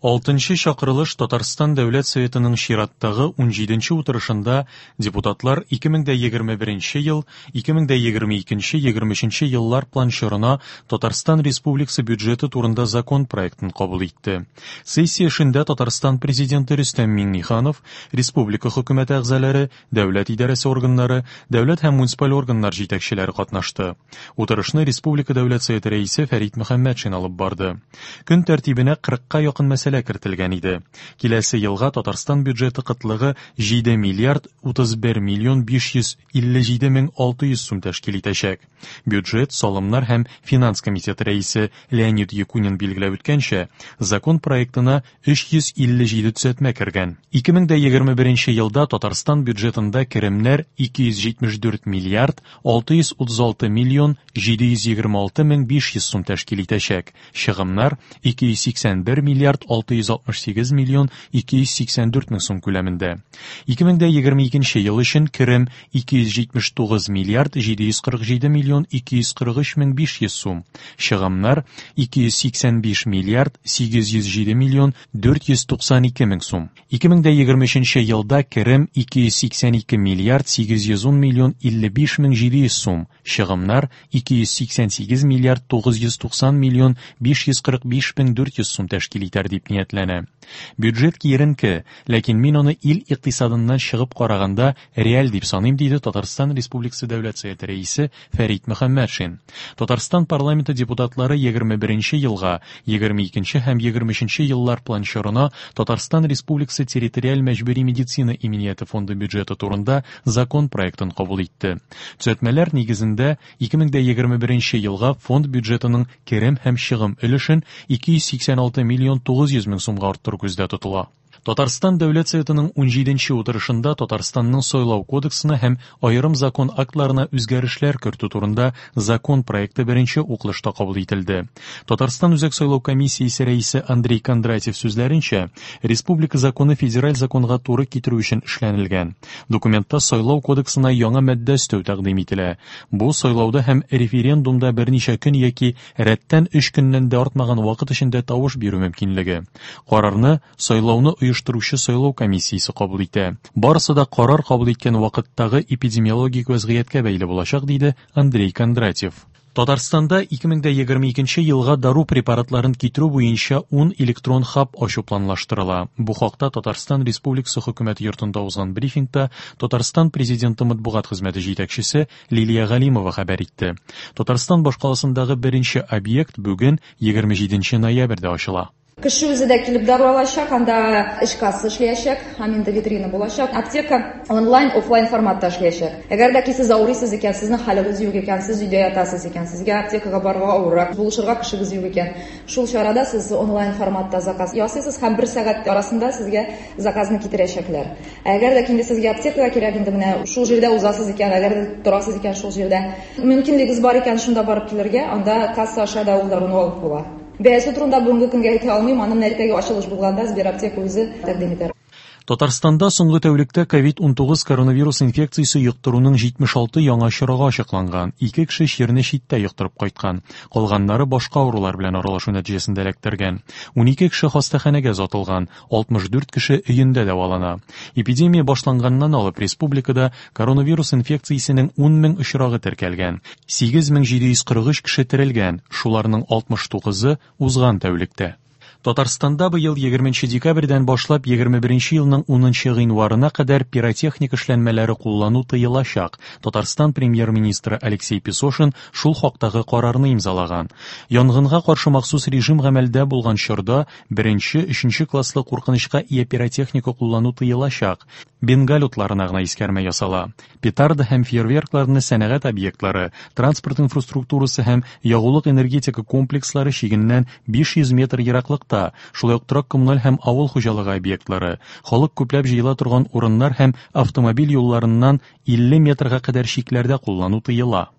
Алтынчы чакырылыш Татарстан Дәүләт Советының чираттагы унҗиденче утырышында депутатлар 2021 ел, 2022-23 еллар план чорына Татарстан Республикасы бюджеты турында закон проектын кабул итте. Сессия эшендә Татарстан Президенты Рөстәм Миңнеханов, республика хөкүмәте әгъзалары, дәүләт идарәсе органнары, дәүләт һәм муниципаль органнар җитәкчеләре катнашты. Утырышны республика Дәүләт Советы рәисе Фәрит Мөхәммәтшин алып барды. Көн тәртибенә 40-ка якын мәсьәлә кертелгән иде. Киләсе елга Татарстан бюджеты кытлыгы 7 миллиард 31 миллион 557 мең 600 сум тәшкил итәчәк. Бюджет, салымнар һәм финанс комитеты рәисе Леонид Якунин билгеләп үткәнчә, закон проектына 357 төзәтмә кергән. 2021 елда Татарстан бюджетында керемнәр 274 миллиард 636 миллион 726 мең 500 сум тәшкил итәчәк, чыгымнар 281 миллиард 668 миллион 284 мең сум күләмендә. 2022 ел өчен керем 279 миллиард 747 миллион 243 мең 500 сум, чыгымнар 285 миллиард 807 миллион 492 мең сум. 2023 елда керем 282 миллиард 810 миллион 55 мең 700 сум, чыгымнар 288 миллиард 990 миллион 545 мең 400 сум тәшкил итәр дип ниятләнә. Бюджет киеренке, ләкин мин аны ил икътисадыннан чыгып караганда реаль дип саныйм, диде Татарстан Республикасы Дәүләт Советы рәисе Фәрит Мөхәммәтшин. Татарстан парламенты депутатлары 21 елга, 22 һәм 23 еллар план чорына Татарстан Республикасы территориаль мәҗбүри медицина иминияте фонды бюджеты турында закон проектын кабул итте. Төзәтмәләр нигезендә 2021 елга фонд бюджетының керем һәм чыгым өлешен 286 миллион 900 мең сумга арттыру күздә тотыла. Татарстан Дәүләт Советының унҗиденче утырышында Татарстанның Сайлау кодексына һәм аерым закон актларына үзгәрешләр кертү турында закон проекты беренче укылышта кабул ителде. Татарстан Үзәк сайлау комиссиясе рәисе Андрей Кондратьев сүзләренчә, республика законы федераль законга туры китерү өчен эшләнелгән. Документта Сайлау кодексына яңа маддә өстәү тәкъдим ителә. Бу сайлауда һәм референдумда берничә көн яки рәттән өч көннән дә артмаган вакыт эчендә тавыш бирү мөмкинлеге. Карарны сайлауны оештыручы сайлау комиссиясе кабул итә. Барысы да карар кабул иткән вакыттагы эпидемиологик вәзгыятькә бәйле булачак, диде Андрей Кондратьев. Татарстанда 2022 елга дару препаратларын китерү буенча 10 электрон хаб ачу планлаштырыла. Бу хакта Татарстан Республикасы Хөкүмәте йортында узган брифингта Татарстан Президенты матбугат хезмәте җитәкчесе Лилия Галимова хәбәр итте. Татарстан башкаласындагы беренче объект бүген 27 ноябрьдә ачыла. Кеше үзе дә килеп дару алачак, анда эш касса эшләячәк, һәм инде витрина булачак. Аптека онлайн, офлайн форматта эшләячәк. Әгәр дә ки сез авырыйсыз икән, сезнең хәлегез юк икән, сез өйдә ятасыз икән, сезгә аптекага барырга авыррак, булышырга кешегез юк икән, шул чарада сез онлайн форматта заказ ясыйсыз һәм бер сәгать арасында сезгә заказны китерәчәкләр. Ә әгәр дә инде сезгә аптекага кирәк, инде менә шул җирдә узасыз икән, әгәр дә торасыз икән шул җирдә, мөмкинлегегез бар икән шунда барып килергә, анда касса аша да ул даруны алып була. Бәясе турында бүгенге көнгә әйтә алмыйм, аны менә иртәгә ачылыш булганда Сбераптека үзе тәкъдим итәр. Татарстанда соңгы тәүлектә ковид-унтугыз коронавирус инфекциясе йоктыруның 76 яңа очрагы ачыкланган. Ике кеше чирне читтә йоктырып кайткан. Калганнары башка авырулар белән аралашу нәтиҗәсендә эләктергән. 12 кеше хастаханәгә озатылган, 64 кеше өендә дәвалана. Эпидемия башланганнан алып республикада коронавирус инфекциясенең 10 мең очрагы теркәлгән. 8743 кеше терелгән, шуларның 69-ы узган тәүлектә. Татарстанда быел 20 декабрьдән башлап 21 елның 10 гыйнварына кадәр пиротехник эшләнмәләре куллану тыелачак. Татарстан премьер-министры Алексей Песошин шул хактагы карарны имзалаган. Янгынга каршы махсус режим гамәлдә булган чорда беренче, өченче класслы куркынычка ия пиротехника куллану тыелачак. Бенгаль утларына гына искәрмә ясала. Петарда һәм фейерверкларны сәнәгать объектлары, транспорт инфраструктурасы һәм ягулык-энергетика комплекслары чигеннән 500 метр ераклыкта, шулай ук торак-коммуналь һәм авыл хуҗалыгы объектлары, халык күпләп җыела торган урыннар һәм автомобиль юлларыннан 50 метрга кадәр чикләрдә куллану тыела.